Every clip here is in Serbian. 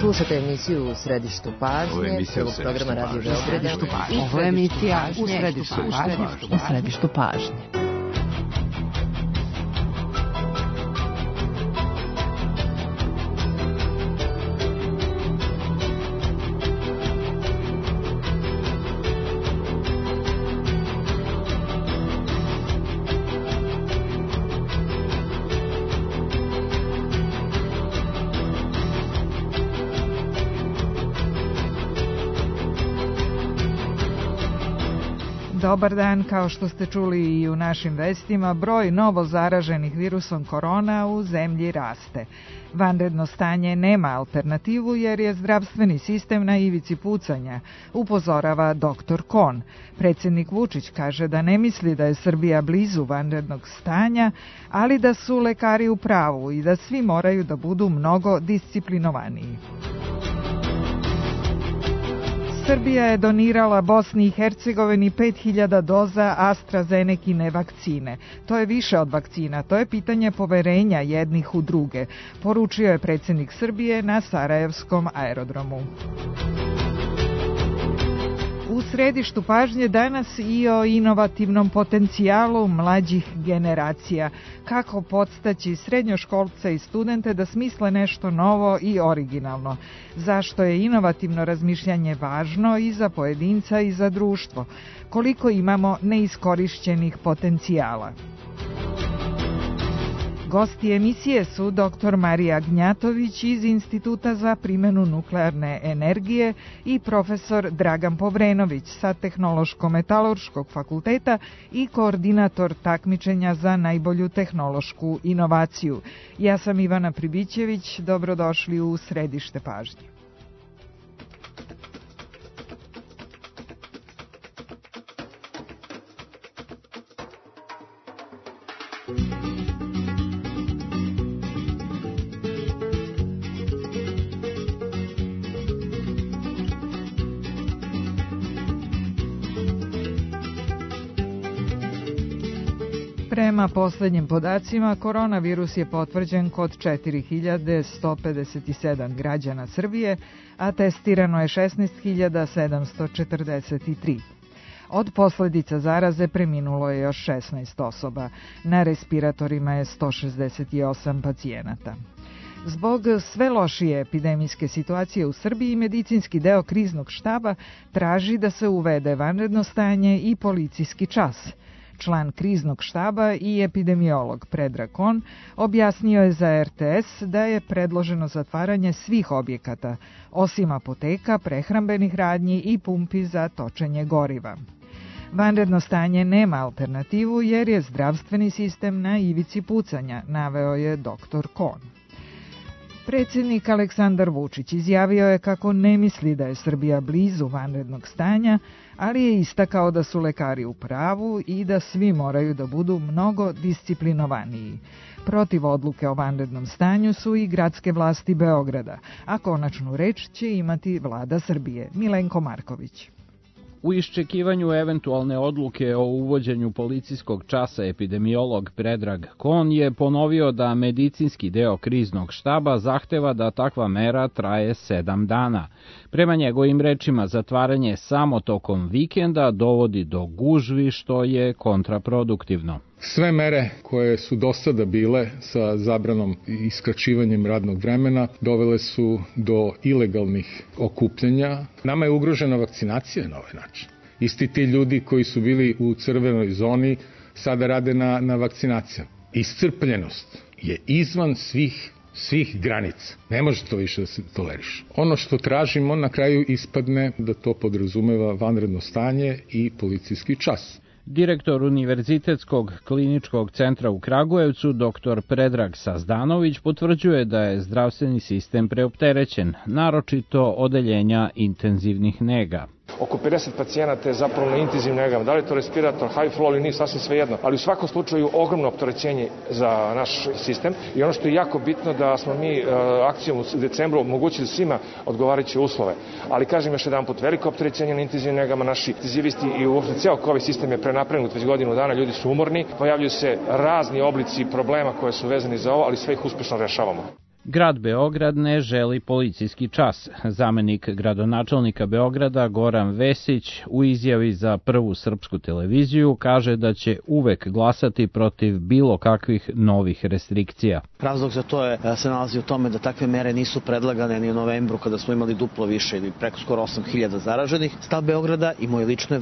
Slušate emisiju U središtu pažnje, prvog programa Radio Beograda. Ovo je emisija U središtu pažnje. Dobar dan, kao što ste čuli i u našim vestima, broj novo zaraženih virusom korona u zemlji raste. Vanredno stanje nema alternativu jer je zdravstveni sistem na ivici pucanja, upozorava dr. Kon. Predsjednik Vučić kaže da ne misli da je Srbija blizu vanrednog stanja, ali da su lekari u pravu i da svi moraju da budu mnogo disciplinovaniji. Srbija je donirala Bosni i Hercegovini 5000 doza AstraZenekine vakcine. To je više od vakcina, to je pitanje poverenja jednih u druge, poručio je predsjednik Srbije na Sarajevskom aerodromu. U središtu pažnje danas i o inovativnom potencijalu mlađih generacija. Kako podstaći srednjoškolce i studente da smisle nešto novo i originalno. Zašto je inovativno razmišljanje važno i za pojedinca i za društvo. Koliko imamo neiskorišćenih potencijala. Gosti emisije su dr. Marija Gnjatović iz Instituta za primjenu nuklearne energije i profesor Dragan Povrenović sa Tehnološko-metalurškog fakulteta i koordinator takmičenja za najbolju tehnološku inovaciju. Ja sam Ivana Pribićević, dobrodošli u središte pažnje. Prema posljednjim podacima, koronavirus je potvrđen kod 4157 građana Srbije, a testirano je 16743. Od posljedica zaraze preminulo je još 16 osoba. Na respiratorima je 168 pacijenata. Zbog sve lošije epidemijske situacije u Srbiji, medicinski deo kriznog štaba traži da se uvede vanredno stanje i policijski čas. Član kriznog štaba i epidemiolog Predrag Kon objasnio je za RTS da je predloženo zatvaranje svih objekata, osim apoteka, prehrambenih radnji i pumpi za točenje goriva. Vanredno stanje nema alternativu jer je zdravstveni sistem na ivici pucanja, naveo je dr. Kon. Predsjednik Aleksandar Vučić izjavio je kako ne misli da je Srbija blizu vanrednog stanja, ali je istakao da su lekari u pravu i da svi moraju da budu mnogo disciplinovaniji. Protiv odluke o vanrednom stanju su i gradske vlasti Beograda, a konačnu reč će imati vlada Srbije. Milenko Marković. U iščekivanju eventualne odluke o uvođenju policijskog časa epidemiolog Predrag Kon je ponovio da medicinski deo kriznog štaba zahteva da takva mera traje 7 dana. Prema njegovim rečima, zatvaranje samo tokom vikenda dovodi do gužvi, što je kontraproduktivno. Sve mere koje su do sada bile sa zabranom i skraćivanjem radnog vremena dovele su do ilegalnih okupljanja. Nama je ugrožena vakcinacija na ovaj način. Isti ti ljudi koji su bili u crvenoj zoni sada rade na vakcinacijama. Iscrpljenost je izvan svih granica. Ne može to više da se toleriše. Ono što tražimo na kraju ispadne da to podrazumeva vanredno stanje i policijski čas. Direktor Univerzitetskog kliničkog centra u Kragujevcu, dr. Predrag Sazdanović, potvrđuje da je zdravstveni sistem preopterećen, naročito odeljenja intenzivnih nega. Oko 50 pacijenata je zapravo na intenzivnim negama. Da li je to respirator, high flow ili nije, sasvim svejedno. Ali u svakom slučaju ogromno opterećenje za naš sistem. I ono što je jako bitno da smo mi akcijom u decembru omogućili svima odgovarajuće uslove. Ali kažem još jedan put, veliko opterećenje na intenzivnim negama, naši intenzivisti i uopšte cijel COVID sistem je prenapregnut već godinu dana, ljudi su umorni, pojavljuju se razni oblici problema koje su vezani za ovo, ali sve ih uspešno rešavamo. Grad Beograd ne želi policijski čas. Zamenik gradonačelnika Beograda Goran Vesić u izjavi za Prvu srpsku televiziju kaže da će uvek glasati protiv bilo kakvih novih restrikcija. Razlog za to se nalazi u tome da takve mere nisu predlagane ni u novembru kada smo imali duplo više ili preko skoro 8.000 zaraženih. Stav Beograda i moj lično je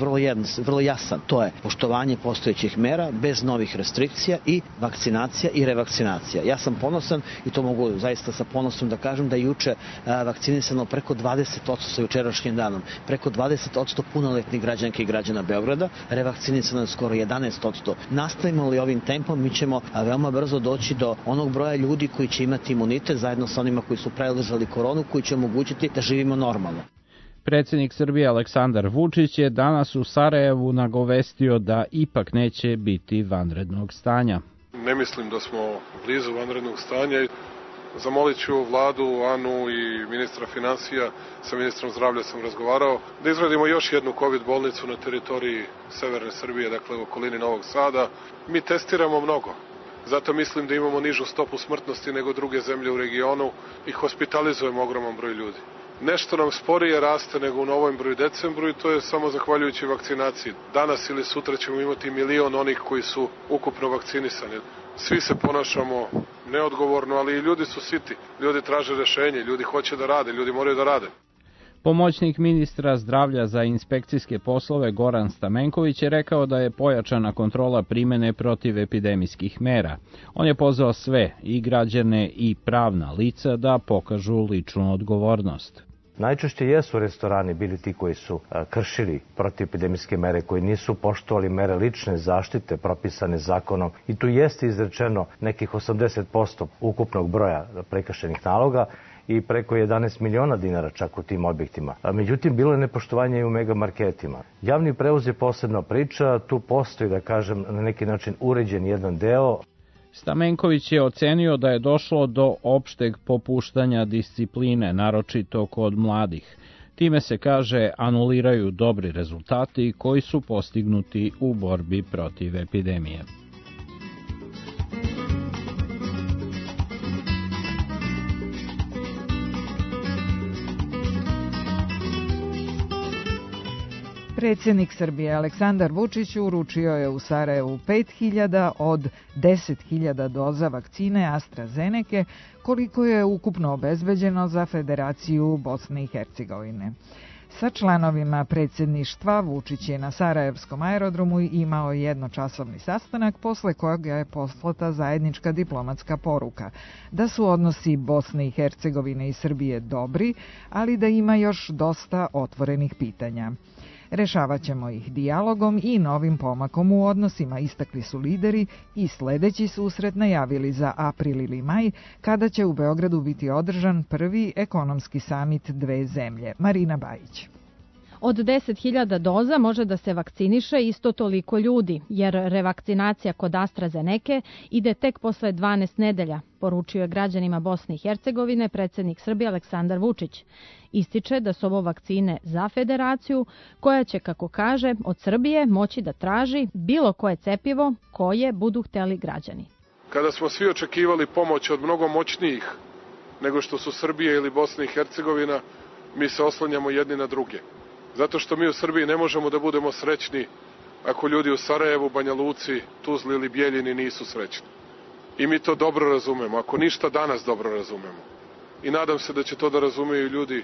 vrlo jasan. To je poštovanje postojećih mera bez novih restrikcija i vakcinacija i revakcinacija. Ja sam ponosan i to mogu zaista sa ponosom da kažem da je juče vakcinisano preko 20% sa jučerašnjim danom. Preko 20% punoletnih građanki i građana Beograda, revakcinisano je skoro 11%. Nastavimo li ovim tempom, mi ćemo veoma brzo doći do onog broja ljudi koji će imati imunitet zajedno sa onima koji su preležali koronu, koji će omogućiti da živimo normalno. Predsjednik Srbije Aleksandar Vučić je danas u Sarajevu nagovestio da ipak neće biti vanrednog stanja. Ne mislim da smo blizu vanrednog stanja. Zamolit ću vladu, Anu i ministra financija, sa ministrom zdravlja sam razgovarao, da izradimo još jednu COVID bolnicu na teritoriji severne Srbije, dakle u okolini Novog Sada. Mi testiramo mnogo, zato mislim da imamo nižu stopu smrtnosti nego druge zemlje u regionu i hospitalizujemo ogroman broj ljudi. Nešto nam sporije raste nego u novembru i decembru i to je samo zahvaljujući vakcinaciji. Danas ili sutra ćemo imati 1 milion onih koji su ukupno vakcinisani. Svi se ponašamo neodgovorno, ali i ljudi su siti. Ljudi traže rešenje, ljudi hoće da rade, ljudi moraju da rade. Pomoćnik ministra zdravlja za inspekcijske poslove Goran Stamenković je rekao da je pojačana kontrola primene protivepidemijskih mera. On je pozvao sve, i građane i pravna lica, da pokažu ličnu odgovornost. Najčešće jesu restorani bili ti koji su kršili protivepidemijske mere, koji nisu poštovali mere lične zaštite propisane zakonom i tu jeste izrečeno nekih 80% ukupnog broja prekršenih naloga i preko 11 miliona dinara čak u tim objektima. Međutim, bilo je nepoštovanje i u megamarketima. Javni prevoz je posebna priča, tu postoji, da kažem, na neki način uređen jedan deo. Stamenković je ocenio da je došlo do opšteg popuštanja discipline, naročito kod mladih. Time se, kaže, anuliraju dobri rezultati koji su postignuti u borbi protiv epidemije. Predsjednik Srbije Aleksandar Vučić uručio je u Sarajevu 5.000 od 10.000 doza vakcine AstraZeneke, koliko je ukupno obezbeđeno za Federaciju Bosne i Hercegovine. Sa članovima predsjedništva Vučić je na Sarajevskom aerodromu imao jednočasovni sastanak, posle kojega je poslata zajednička diplomatska poruka da su odnosi Bosne i Hercegovine i Srbije dobri, ali da ima još dosta otvorenih pitanja. Rešavat ćemo ih dijalogom i novim pomakom u odnosima, istakli su lideri i sledeći susret najavili za april ili maj, kada će u Beogradu biti održan prvi ekonomski samit dve zemlje. Marina Bajić. Od 10.000 doza može da se vakciniše isto toliko ljudi, jer revakcinacija kod AstraZeneke ide tek posle 12 nedelja, poručio je građanima Bosne i Hercegovine predsjednik Srbije Aleksandar Vučić. Ističe da su ovo vakcine za Federaciju, koja će, kako kaže, od Srbije moći da traži bilo koje cepivo koje budu hteli građani. Kada smo svi očekivali pomoć od mnogo moćnijih nego što su Srbija ili Bosna i Hercegovina, mi se oslanjamo jedni na druge. Zato što mi u Srbiji ne možemo da budemo srećni ako ljudi u Sarajevu, Banja Luci, Tuzli ili Bijeljini nisu srećni. I mi to dobro razumemo, ako ništa danas dobro razumemo. I nadam se da će to da razumeju ljudi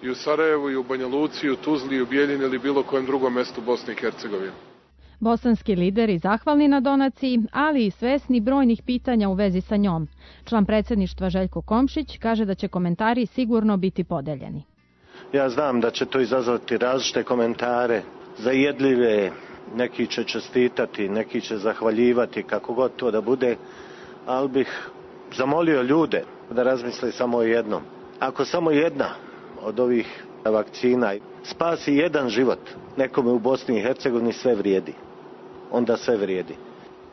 i u Sarajevu, i u Banja Luci, i u Tuzli, i u Bijeljini ili bilo kojem drugom mestu Bosne i Hercegovine. Bosanski lideri zahvalni na donaciji, ali i svesni brojnih pitanja u vezi sa njom. Član predsjedništva Željko Komšić kaže da će komentari sigurno biti podeljeni. Ja znam da će to izazvati različite komentare, zajedljive, neki će čestitati, neki će zahvaljivati, kako god to da bude, ali bih zamolio ljude da razmisle samo o jednom. Ako samo jedna od ovih vakcina spasi jedan život nekome u Bosni i Hercegovini, sve vrijedi. Onda sve vrijedi.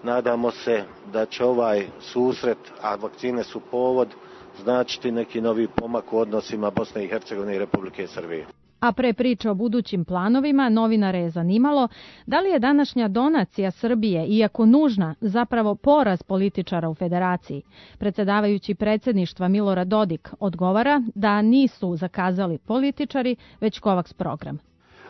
Nadamo se da će ovaj susret, a vakcine su povod, značiti neki novi pomak u odnosima Bosne i Hercegovine i Republike Srbije. A pre priče o budućim planovima, novinare je zanimalo da li je današnja donacija Srbije, iako nužna, zapravo poraz političara u federaciji. Predsjedavajući predsjedništva Milorad Dodik odgovara da nisu zakazali političari, već Kovaks program.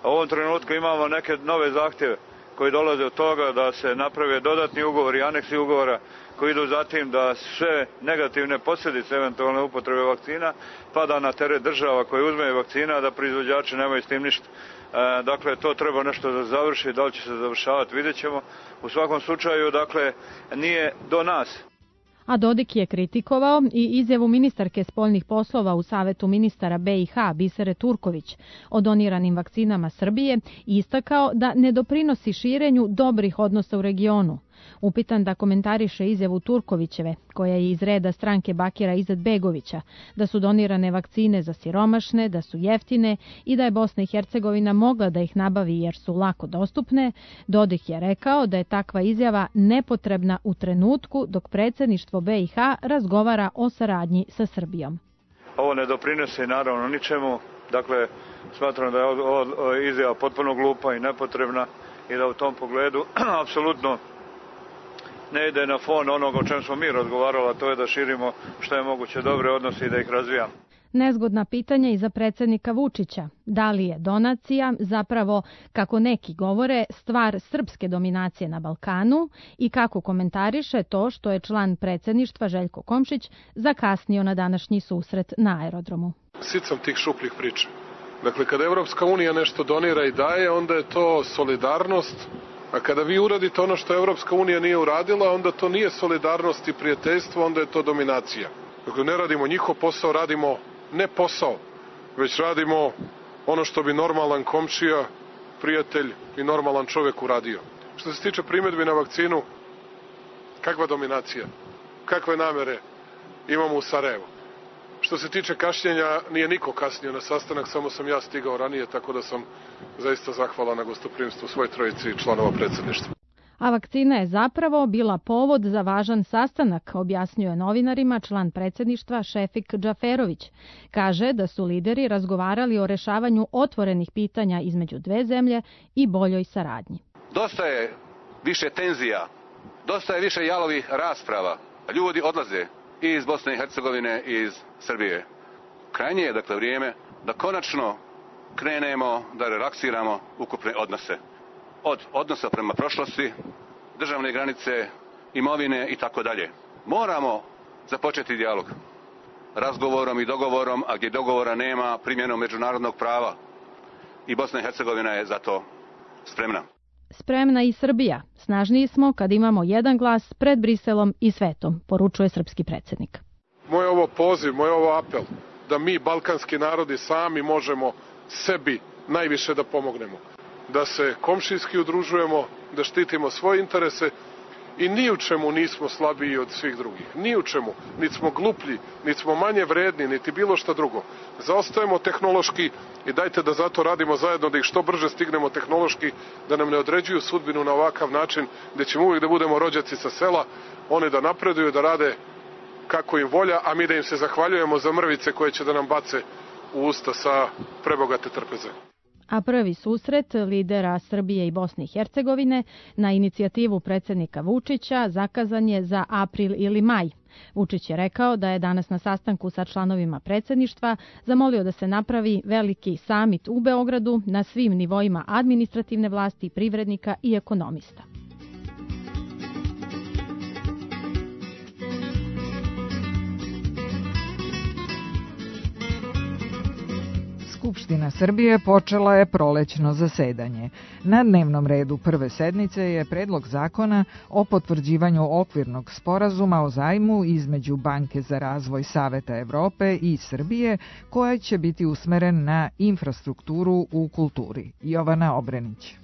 U ovom trenutku imamo neke nove zahtjeve koji dolaze od toga da se naprave dodatni ugovori, aneksi ugovora koji idu zatim da sve negativne posljedice eventualne upotrebe vakcina pada na teret država koje uzmeju vakcina, da proizvođači nemaju s tim ništa. Dakle, to treba nešto da završi, da li će se završavati, vidjet ćemo. U svakom slučaju, dakle, nije do nas. A Dodik je kritikovao i izjavu ministarke spoljnih poslova u Savetu ministara BiH Bisere Turković o doniranim vakcinama Srbije i istakao da ne doprinosi širenju dobrih odnosa u regionu. Upitan da komentariše izjavu Turkovićeve, koja je iz reda stranke Bakira Izetbegovića, da su donirane vakcine za siromašne, da su jeftine i da je Bosna i Hercegovina mogla da ih nabavi jer su lako dostupne, Dodik je rekao da je takva izjava nepotrebna u trenutku dok predsjedništvo BiH razgovara o saradnji sa Srbijom. Ovo ne doprinosi naravno ničemu, dakle smatram da je ova izjava potpuno glupa i nepotrebna i da u tom pogledu apsolutno ne ide na fon onoga o čem smo mi razgovarali, a to je da širimo što je moguće dobre odnose i da ih razvijamo. Nezgodna pitanja i za predsjednika Vučića. Da li je donacija zapravo, kako neki govore, stvar srpske dominacije na Balkanu i kako komentariše to što je član predsjedništva Željko Komšić zakasnio na današnji susret na aerodromu. Sit sam tih šupljih priča. Dakle, kada Evropska unija nešto donira i daje, onda je to solidarnost. A kada vi uradite ono što Evropska unija nije uradila, onda to nije solidarnost i prijateljstvo, onda je to dominacija. Dakle, ne radimo njihov posao, radimo ne posao, već radimo ono što bi normalan komšija, prijatelj i normalan čovjek uradio. Što se tiče primjedbi na vakcinu, kakva dominacija, kakve namere imamo u Sarajevu. Što se tiče kašnjenja, nije niko kasnio na sastanak, samo sam ja stigao ranije, tako da sam zaista zahvalan na gostoprimstvu svoj trojici članova predsjedništva. A vakcina je zapravo bila povod za važan sastanak, objasnio je novinarima član predsjedništva Šefik Džaferović. Kaže da su lideri razgovarali o rešavanju otvorenih pitanja između dve zemlje i boljoj saradnji. Dosta je više tenzija, dosta je više jalovih rasprava. Ljudi odlaze i iz Bosne i Hercegovine i iz Srbije. Krajnje je dakle vrijeme da konačno krenemo da relaksiramo ukupne odnose. Od odnosa prema prošlosti, državne granice, imovine i tako dalje. Moramo započeti dijalog razgovorom i dogovorom, a gdje dogovora nema, primjenom međunarodnog prava. I Bosna i Hercegovina je za to spremna. Spremna i Srbija. Snažniji smo kad imamo jedan glas pred Briselom i svetom, poručuje srpski predsjednik. Moj ovo poziv, moj ovo apel, da mi, balkanski narodi, sami možemo sebi najviše da pomognemo. Da se komšijski udružujemo, da štitimo svoje interese i ni u čemu nismo slabiji od svih drugih. Ni u čemu. Niti smo gluplji, niti smo manje vredni, niti bilo šta drugo. Zaostajemo tehnološki i dajte da zato radimo zajedno, da ih što brže stignemo tehnološki, da nam ne određuju sudbinu na ovakav način, gdje ćemo uvijek da budemo rođaci sa sela, oni da napreduju, da rade kako im volja, a mi da im se zahvaljujemo za mrvice koje će da nam bace u usta sa prebogate trpeze. A prvi susret lidera Srbije i Bosne i Hercegovine na inicijativu predsjednika Vučića zakazan je za april ili maj. Vučić je rekao da je danas na sastanku sa članovima predsjedništva zamolio da se napravi veliki samit u Beogradu na svim nivoima administrativne vlasti, privrednika i ekonomista. Skupština Srbije počela je prolećno zasedanje. Na dnevnom redu prve sednice je predlog zakona o potvrđivanju okvirnog sporazuma o zajmu između Banke za razvoj Saveta Evrope i Srbije, koja će biti usmeren na infrastrukturu u kulturi. Jovana Obrenić.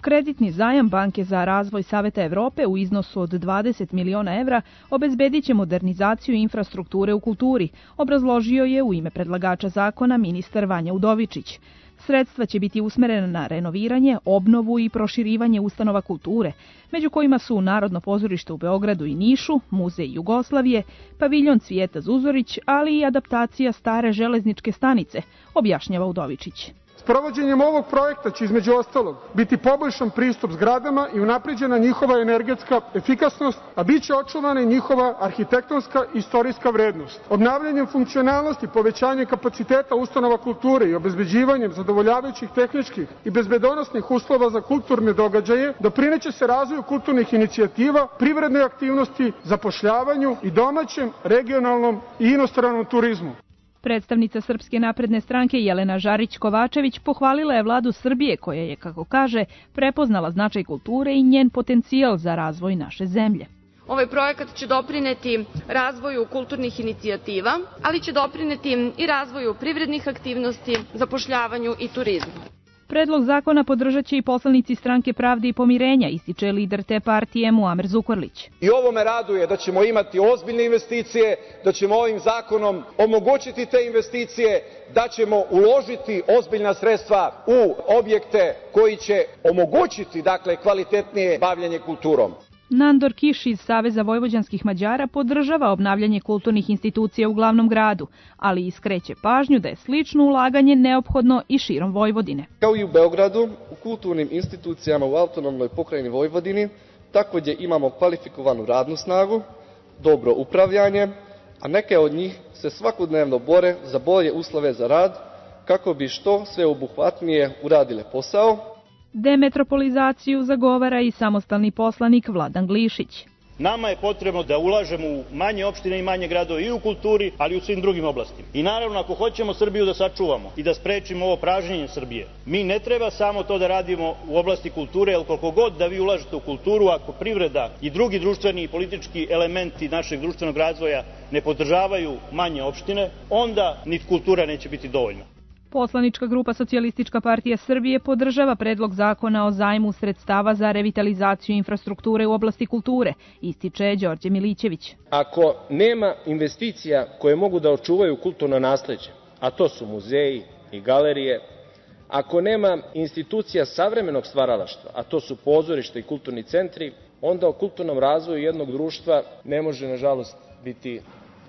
Kreditni zajam Banke za razvoj Saveta Evrope u iznosu od 20 miliona evra obezbedit će modernizaciju infrastrukture u kulturi, obrazložio je u ime predlagača zakona ministar Vanja Udovičić. Sredstva će biti usmerena na renoviranje, obnovu i proširivanje ustanova kulture, među kojima su Narodno pozorište u Beogradu i Nišu, Muzej Jugoslavije, paviljon Cvijeta Zuzorić, ali i adaptacija stare železničke stanice, objašnjava Udovičić. Sprovođenjem ovog projekta će između ostalog biti poboljšan pristup zgradama i unapređena njihova energetska efikasnost, a bit će očuvana i njihova arhitektonska i istorijska vrednost. Obnavljanjem funkcionalnosti, povećanjem kapaciteta ustanova kulture i obezbeđivanjem zadovoljavajućih tehničkih i bezbedonosnih uslova za kulturne događaje doprineće se razvoju kulturnih inicijativa, privrednoj aktivnosti, zapošljavanju i domaćem, regionalnom i inostranom turizmu. Predstavnica Srpske napredne stranke Jelena Žarić-Kovačević pohvalila je vladu Srbije koja je, kako kaže, prepoznala značaj kulture i njen potencijal za razvoj naše zemlje. Ovaj projekat će doprineti razvoju kulturnih inicijativa, ali će doprineti i razvoju privrednih aktivnosti, zapošljavanju i turizmu. Predlog zakona podržat će i poslanici Stranke pravde i pomirenja, ističe lider te partije Muamer Zukorlić. I ovo me raduje da ćemo imati ozbiljne investicije, da ćemo ovim zakonom omogućiti te investicije, da ćemo uložiti ozbiljna sredstva u objekte koji će omogućiti, kvalitetnije bavljenje kulturom. Nandor Kiš iz Saveza vojvođanskih Mađara podržava obnavljanje kulturnih institucija u glavnom gradu, ali iskreće pažnju da je slično ulaganje neophodno i širom Vojvodine. Kao i u Beogradu, u kulturnim institucijama u autonomnoj pokrajini Vojvodini takođe imamo kvalifikovanu radnu snagu, dobro upravljanje, a neke od njih se svakodnevno bore za bolje uslove za rad kako bi što sveobuhvatnije uradile posao. Demetropolizaciju zagovara i samostalni poslanik Vladan Glišić. Nama je potrebno da ulažemo u manje opštine i manje gradove i u kulturi, ali i u svim drugim oblastima. I naravno, ako hoćemo Srbiju da sačuvamo i da sprečimo ovo pražnjenje Srbije, mi ne treba samo to da radimo u oblasti kulture, jer koliko god da vi ulažete u kulturu, ako privreda i drugi društveni i politički elementi našeg društvenog razvoja ne podržavaju manje opštine, onda ni kultura neće biti dovoljna. Poslanička grupa Socijalistička partija Srbije podržava predlog zakona o zajmu sredstava za revitalizaciju infrastrukture u oblasti kulture, ističe Đorđe Milićević. Ako nema investicija koje mogu da očuvaju kulturno nasleđe, a to su muzeji i galerije, ako nema institucija savremenog stvaralaštva, a to su pozorišta i kulturni centri, onda o kulturnom razvoju jednog društva ne može, nažalost, biti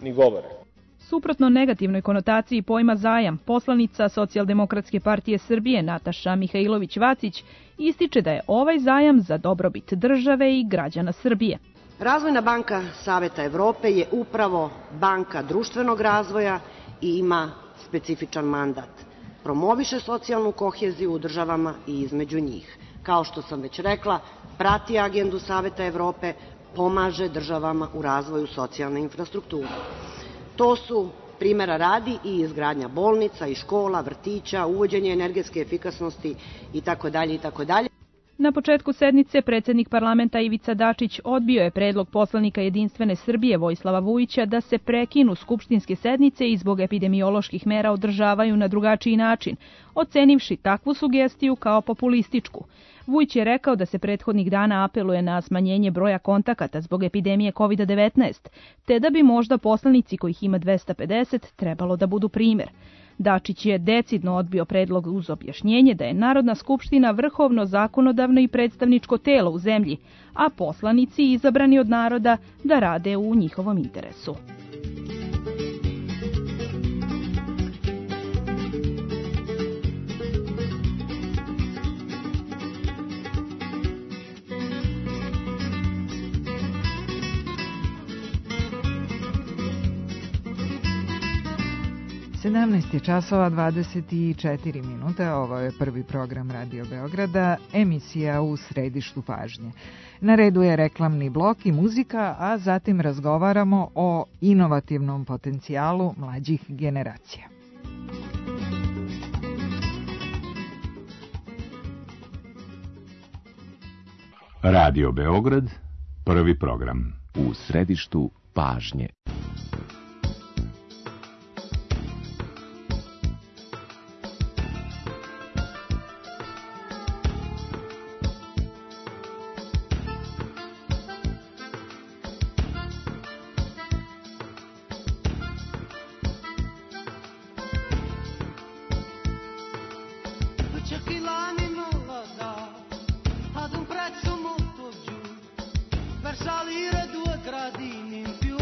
ni govora. Suprotno negativnoj konotaciji pojma zajam, poslanica Socijaldemokratske partije Srbije Nataša Mihajlović-Vacić ističe da je ovaj zajam za dobrobit države i građana Srbije. Razvojna banka Saveta Evrope je upravo banka društvenog razvoja i ima specifičan mandat. Promoviše socijalnu koheziju u državama i između njih. Kao što sam već rekla, prati agendu Saveta Evrope, pomaže državama u razvoju socijalne infrastrukture. To su, primjera radi, i izgradnja bolnica i škola, vrtića, uvođenje energetske efikasnosti itd. itd. Na početku sednice predsednik parlamenta Ivica Dačić odbio je predlog poslanika Jedinstvene Srbije Vojislava Vujića da se prekinu skupštinske sednice i zbog epidemioloških mera održavaju na drugačiji način, ocenivši takvu sugestiju kao populističku. Vujić je rekao da se prethodnih dana apeluje na smanjenje broja kontakata zbog epidemije COVID-19, te da bi možda poslanici kojih ima 250 trebalo da budu primer. Dačić je decidno odbio predlog uz objašnjenje da je Narodna skupština vrhovno zakonodavno i predstavničko telo u zemlji, a poslanici izabrani od naroda da rade u njihovom interesu. časova 24 minuta, ovo je prvi program Radio Beograda, emisija U središtu pažnje. Na redu je reklamni blok i muzika, a zatim razgovaramo o inovativnom potencijalu mlađih generacija. Radio Beograd, prvi program. U središtu pažnje. Salire 2 gradi in più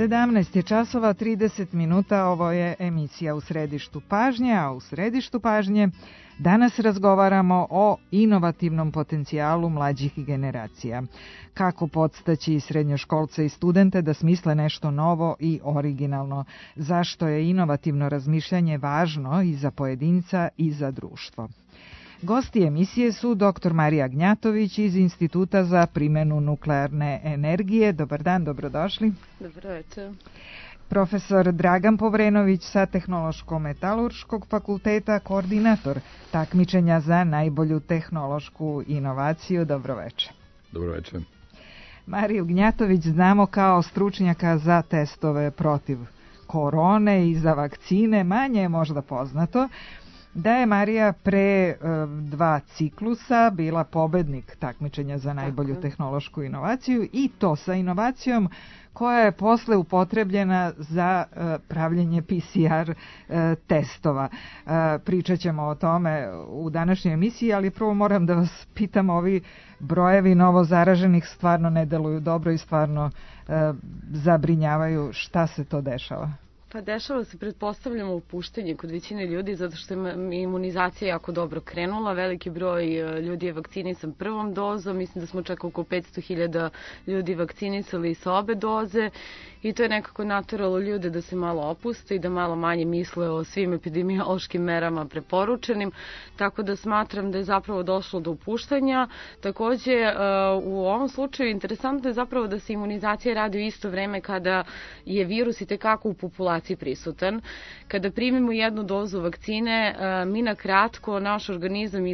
17 časova 30 minuta, ovo je emisija U središtu pažnje, a u središtu pažnje danas razgovaramo o inovativnom potencijalu mlađih generacija. Kako podstaći srednjoškolce i studente da smisle nešto novo i originalno? Zašto je inovativno razmišljanje važno i za pojedinca i za društvo? Gosti emisije su dr. Marija Gnjatović iz Instituta za primjenu nuklearne energije. Dobar dan, dobrodošli. Dobro večer. Profesor Dragan Povrenović sa Tehnološko-metalurškog fakulteta, koordinator takmičenja za najbolju tehnološku inovaciju. Dobro večer. Dobro večer. Mariju Gnjatović znamo kao stručnjaka za testove protiv korone i za vakcine. Manje je možda poznato da je Marija pre 2 ciklusa bila pobednik takmičenja za najbolju tehnološku inovaciju, i to sa inovacijom koja je posle upotrebljena za pravljenje PCR testova. Pričat ćemo o tome u današnjoj emisiji, ali prvo moram da vas pitam, ovi brojevi novozaraženih stvarno ne deluju dobro i stvarno zabrinjavaju. Šta se to dešava? Pa dešava se, pretpostavljamo, opuštanje kod većine ljudi, zato što je imunizacija jako dobro krenula. Veliki broj ljudi je vakcinisan prvom dozom, mislim da smo čak oko 500.000 ljudi vakcinisali sa obe doze, i to je nekako nateralo ljude da se malo opuste i da malo manje misle o svim epidemiološkim merama preporučenim, tako da smatram da je zapravo došlo do opuštanja. Takođe, u ovom slučaju interesantno je zapravo da se imunizacija radi u isto vreme kada je virus i tekako u populaciji prisutan. Kada primimo jednu dozu vakcine, mi na kratko naš organizam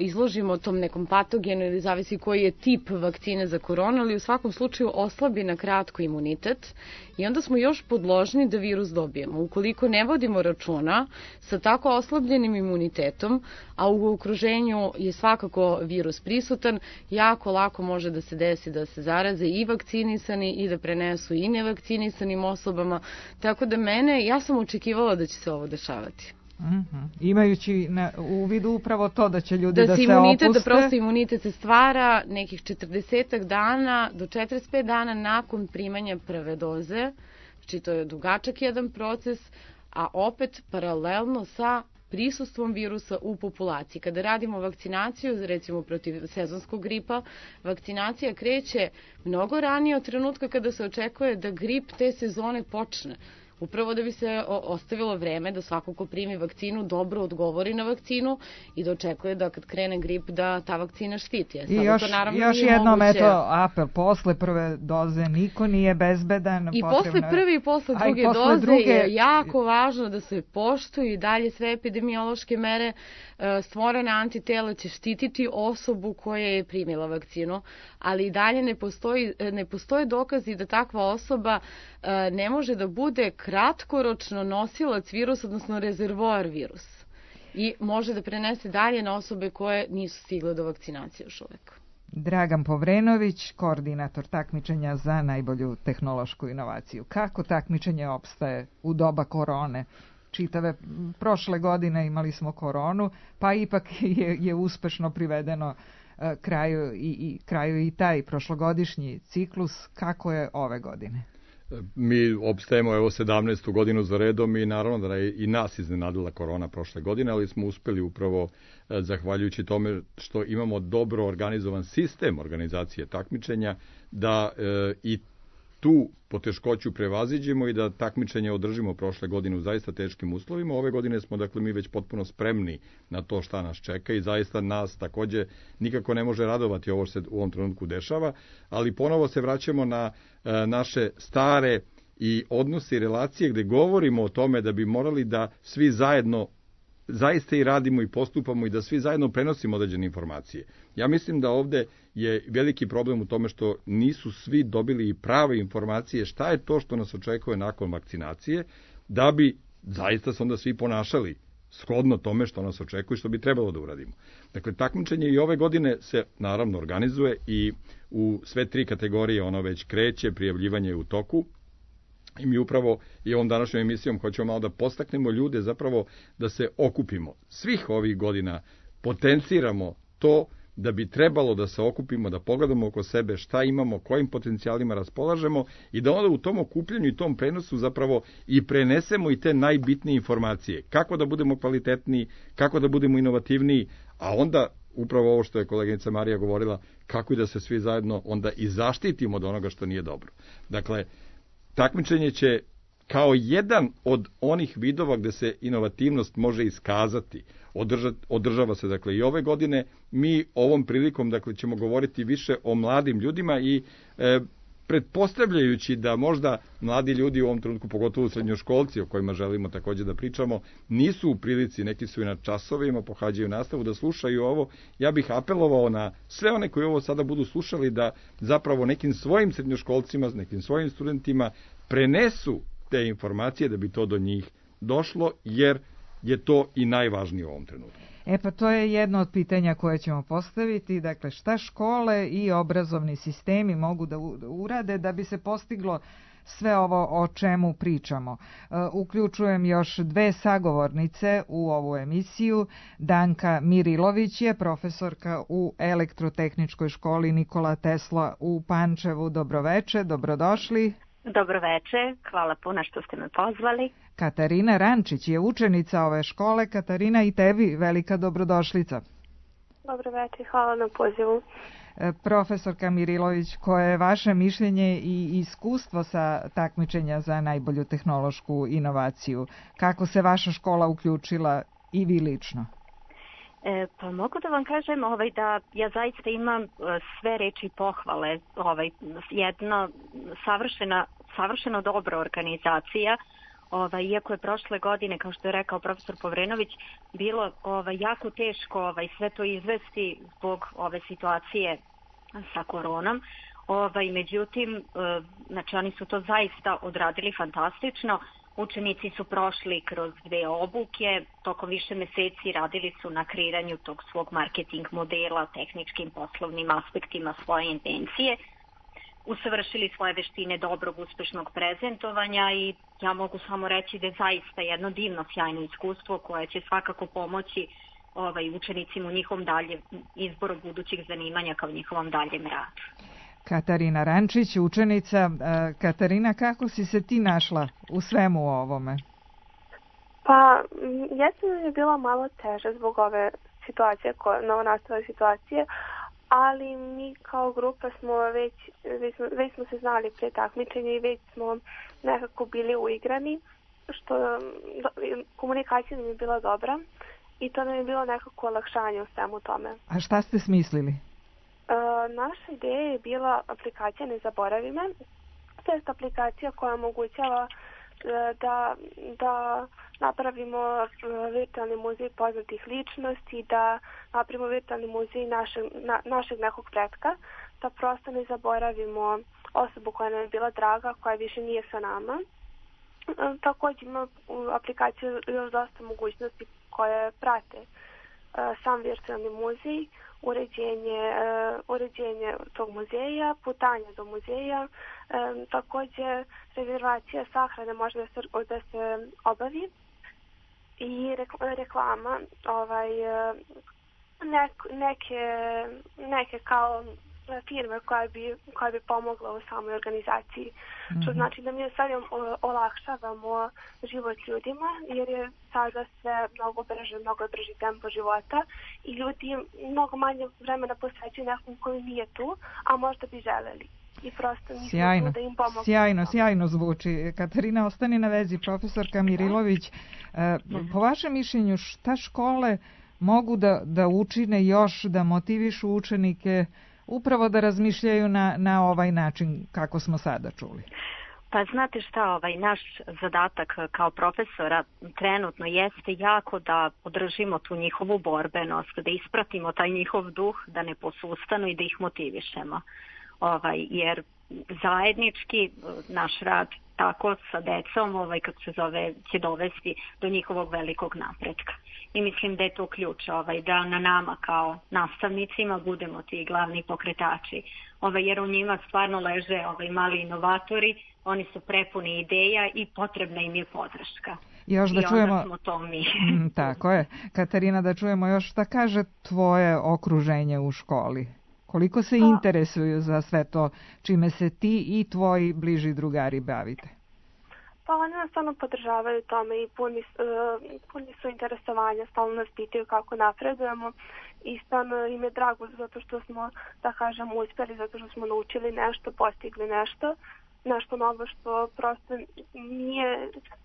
izložimo tom nekom patogenu, ili zavisi koji je tip vakcine za koronu, ali u svakom slučaju oslabi na kratko imunitet, i onda smo još podložni da virus dobijemo. Ukoliko ne vodimo računa sa tako oslabljenim imunitetom, a u okruženju je svakako virus prisutan, jako lako može da se desi da se zaraze i vakcinisani i da prenesu i nevakcinisanim osobama. Tako da ja sam očekivala da će se ovo dešavati. Imajući u vidu upravo to da će ljudi da se opuste. Da prosto imunitet se stvara nekih 40 dana do 45 dana nakon primanja prve doze. Znači to je dugačak jedan proces, a opet paralelno sa prisustvom virusa u populaciji. Kada radimo vakcinaciju, recimo protiv sezonskog gripa, vakcinacija kreće mnogo ranije od trenutka kada se očekuje da grip te sezone počne. Upravo da bi se ostavilo vreme da svako ko primi vakcinu dobro odgovori na vakcinu i da očekuje da kad krene grip da ta vakcina štiti. I još jednom, apel, posle prve doze niko nije bezbedan. I posle prve i posle druge doze je jako važno da se poštuju i dalje sve epidemiološke mere. Stvorena antitela će štititi osobu koja je primila vakcinu, ali i dalje ne postoje dokazi da takva osoba ne može da bude kratkoročno nosilac virusa, odnosno rezervoar virusa, i može da prenese dalje na osobe koje nisu stigle do vakcinacije još uvek. Dragan Povrenović, koordinator takmičenja za najbolju tehnološku inovaciju. Kako takmičenje opstaje u doba korone? Čitave prošle godine imali smo koronu, pa ipak je uspešno privedeno kraju i taj prošlogodišnji ciklus. Kako je ove godine? Mi opstajemo 17. godinu za redom i naravno da je i nas iznenadila korona prošle godine, ali smo uspeli upravo zahvaljujući tome što imamo dobro organizovan sistem organizacije takmičenja da i tu poteškoću prevaziđemo i da takmičenje održimo prošle godine u zaista teškim uslovima. Ove godine smo, dakle, mi već potpuno spremni na to šta nas čeka i zaista nas takođe nikako ne može radovati ovo što se u ovom trenutku dešava, ali ponovo se vraćamo na naše stare i odnose i relacije gde govorimo o tome da bi morali da svi zajedno zaista i radimo i postupamo i da svi zajedno prenosimo određene informacije. Ja mislim da ovde je veliki problem u tome što nisu svi dobili prave informacije šta je to što nas očekuje nakon vakcinacije, da bi zaista se onda svi ponašali shodno tome što nas očekuje i što bi trebalo da uradimo. Dakle, takmičenje i ove godine se naravno organizuje i u sve 3 kategorije ono već kreće, prijavljivanje je u toku. I mi upravo i ovom današnjom emisijom hoćemo malo da postaknemo ljude zapravo da se okupimo. Svih ovih godina potenciramo to da bi trebalo da se okupimo, da pogledamo oko sebe šta imamo, kojim potencijalima raspolažemo i da onda u tom okupljanju i tom prenosu zapravo i prenesemo i te najbitnije informacije. Kako da budemo kvalitetniji, kako da budemo inovativniji, a onda upravo ovo što je koleginica Marija govorila, kako i da se svi zajedno onda i zaštitimo od onoga što nije dobro. Dakle, takmičenje će kao jedan od onih vidova gde se inovativnost može iskazati. Održava se dakle i ove godine. Mi ovom prilikom dakle ćemo govoriti više o mladim ljudima i pretpostavljajući da možda mladi ljudi u ovom trenutku, pogotovo srednjoškolci o kojima želimo također da pričamo, nisu u prilici, neki su i na časovima, pohađaju nastavu, da slušaju ovo. Ja bih apelovao na sve one koji ovo sada budu slušali da zapravo nekim svojim srednjoškolcima, nekim svojim studentima prenesu te informacije da bi to do njih došlo, jer je to i najvažnije u ovom trenutku. Pa to je jedno od pitanja koje ćemo postaviti. Dakle, šta škole i obrazovni sistemi mogu da urade da bi se postiglo sve ovo o čemu pričamo. Uključujem još 2 sagovornice u ovu emisiju. Danka Mirilović je profesorka u Elektrotehničkoj školi Nikola Tesla u Pančevu. Dobroveče, dobrodošli. Dobroveče, hvala puno što ste me pozvali. Katarina Rančić je učenica ove škole. Katarina, i tebi velika dobrodošlica. Dobroveče, hvala na pozivu. Profesorka Mirilović, koje je vaše mišljenje i iskustvo sa takmičenja za najbolju tehnološku inovaciju? Kako se vaša škola uključila i vi lično? Pa mogu da vam kažem da ja zaista imam sve reči pohvale. Jedna savršeno dobra organizacija. Iako je prošle godine, kao što je rekao profesor Povrenović, bilo jako teško sve to izvesti zbog ove situacije sa koronom. Međutim, znači oni su to zaista odradili fantastično. Učenici su prošli kroz 2 obuke, tokom više meseci radili su na kreiranju tog svog marketing modela, tehničkim poslovnim aspektima svoje intencije, usavršili svoje veštine dobrog, uspešnog prezentovanja i ja mogu samo reći da je zaista jedno divno, sjajno iskustvo koje će svakako pomoći učenicima u njihovom daljem izboru budućih zanimanja kao njihovom daljem radu. Katarina Rančić, učenica. Katarina, kako si se ti našla u svemu ovome? Pa, jesam je bila malo teže zbog ove situacije, novonastale situacije, ali mi kao grupa smo već smo se znali pre takmičenja i već smo nekako bili uigrani, što komunikacija nam je bila dobra i to nam je bilo nekako olakšanje u svemu tome. A šta ste smislili? Naša ideja je bila aplikacija Ne zaboravi me. To je aplikacija koja omogućava da napravimo virtualni muzej poznatih ličnosti, da napravimo virtualni muzej našeg nekog pretka, da prosto ne zaboravimo osobu koja nam je bila draga, koja više nije sa nama. Također ima u aplikaciji još dosta mogućnosti koje prate sam virtualni muzej, uređenje tog muzeja, putanje do muzeja, također rezervacija sahrane može da se obavi i reklama neke kao firme koja bi pomogla u samoj organizaciji. Što znači da mi sad olakšavamo život ljudima, jer je sada sve mnogo brži tempo života i ljudi mnogo manje vremena posvećuju nekom koji nije tu, a možda bi želeli. I prosto nismo da im pomogu. Sjajno zvuči. Katarina, ostani na vezi. Profesorka Mirilović, po vašem mišljenju šta škole mogu da učine još, da motivišu učenike upravo da razmišljaju na ovaj način kako smo sada čuli? Pa znate šta, naš zadatak kao profesora trenutno jeste jako da održimo tu njihovu borbenost, da ispratimo taj njihov duh, da ne posustanu i da ih motivišemo. Jer zajednički naš rad tako sa decom, kako se zove, će dovesti do njihovog velikog napretka. I mislim da je to ključ, da na nama kao nastavnicima budemo ti glavni pokretači, jer u njima stvarno leže mali inovatori, oni su prepuni ideja i potrebna im je podrška. Još da I čujemo... onda smo to mi. Tako je. Katarina, da čujemo još šta kaže tvoje okruženje u školi. Koliko se interesuju za sve to čime se ti i tvoji bliži drugari bavite? Pa oni nas stvarno podržavaju tome i puni su interesovanja, stalno nas pitaju kako napredujemo i stvarno im je drago zato što smo, da kažem, uspjeli, zato što smo naučili nešto, postigli nešto novo što prosto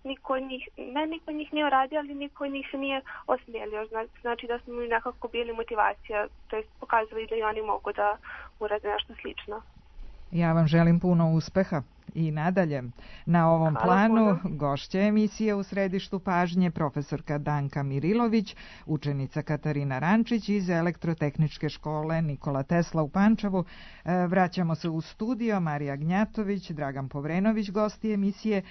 niko od njih nije uradio, ali niko od njih se nije osmijelio. Znači da smo im nekako bili motivacija, to je pokazali da i oni mogu da urade nešto slično. Ja vam želim puno uspeha i nadalje. Na ovom planu gošća emisije U središtu pažnje profesorka Danka Mirilović, učenica Katarina Rančić iz Elektrotehničke škole Nikola Tesla u Pančevu. Vraćamo se u studio. Marija Gnjatović, Dragan Povrenović, gosti emisije.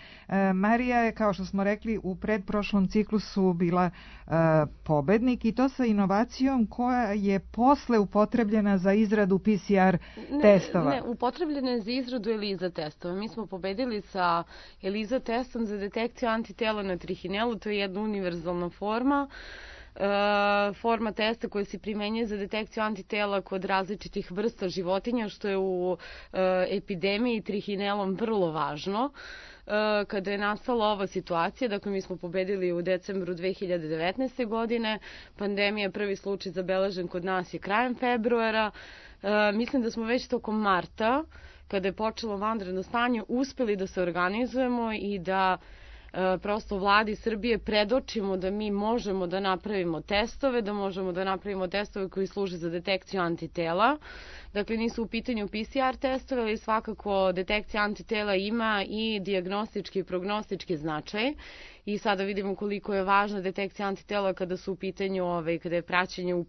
Marija je, kao što smo rekli, u predprošlom ciklusu bila pobednik i to sa inovacijom koja je posle upotrebljena za izradu PCR testova. Ne, upotrebljena je za izradu ELISA testova. Mi smo pobedili sa ELISA testom za detekciju antitela na trihinelu, to je jedna univerzalna forma testa koja se primenjuje za detekciju antitela kod različitih vrsta životinja, što je u epidemiji trihinelom vrlo važno. Kada je nastala ova situacija, dakle mi smo pobedili u decembru 2019. godine, pandemija, prvi slučaj zabeležen kod nas je krajem februara, mislim da smo već tokom marta, kada je počelo vanredno stanje, uspeli da se organizujemo i da prosto vladi Srbije predočimo da mi možemo da napravimo testove, da možemo da napravimo testove koji služe za detekciju antitela. Dakle, nisu u pitanju PCR testove, ali svakako detekcija antitela ima i dijagnostički i prognostički značaj. I sada vidimo koliko je važna detekcija antitela kada su u pitanju, kada je praćenje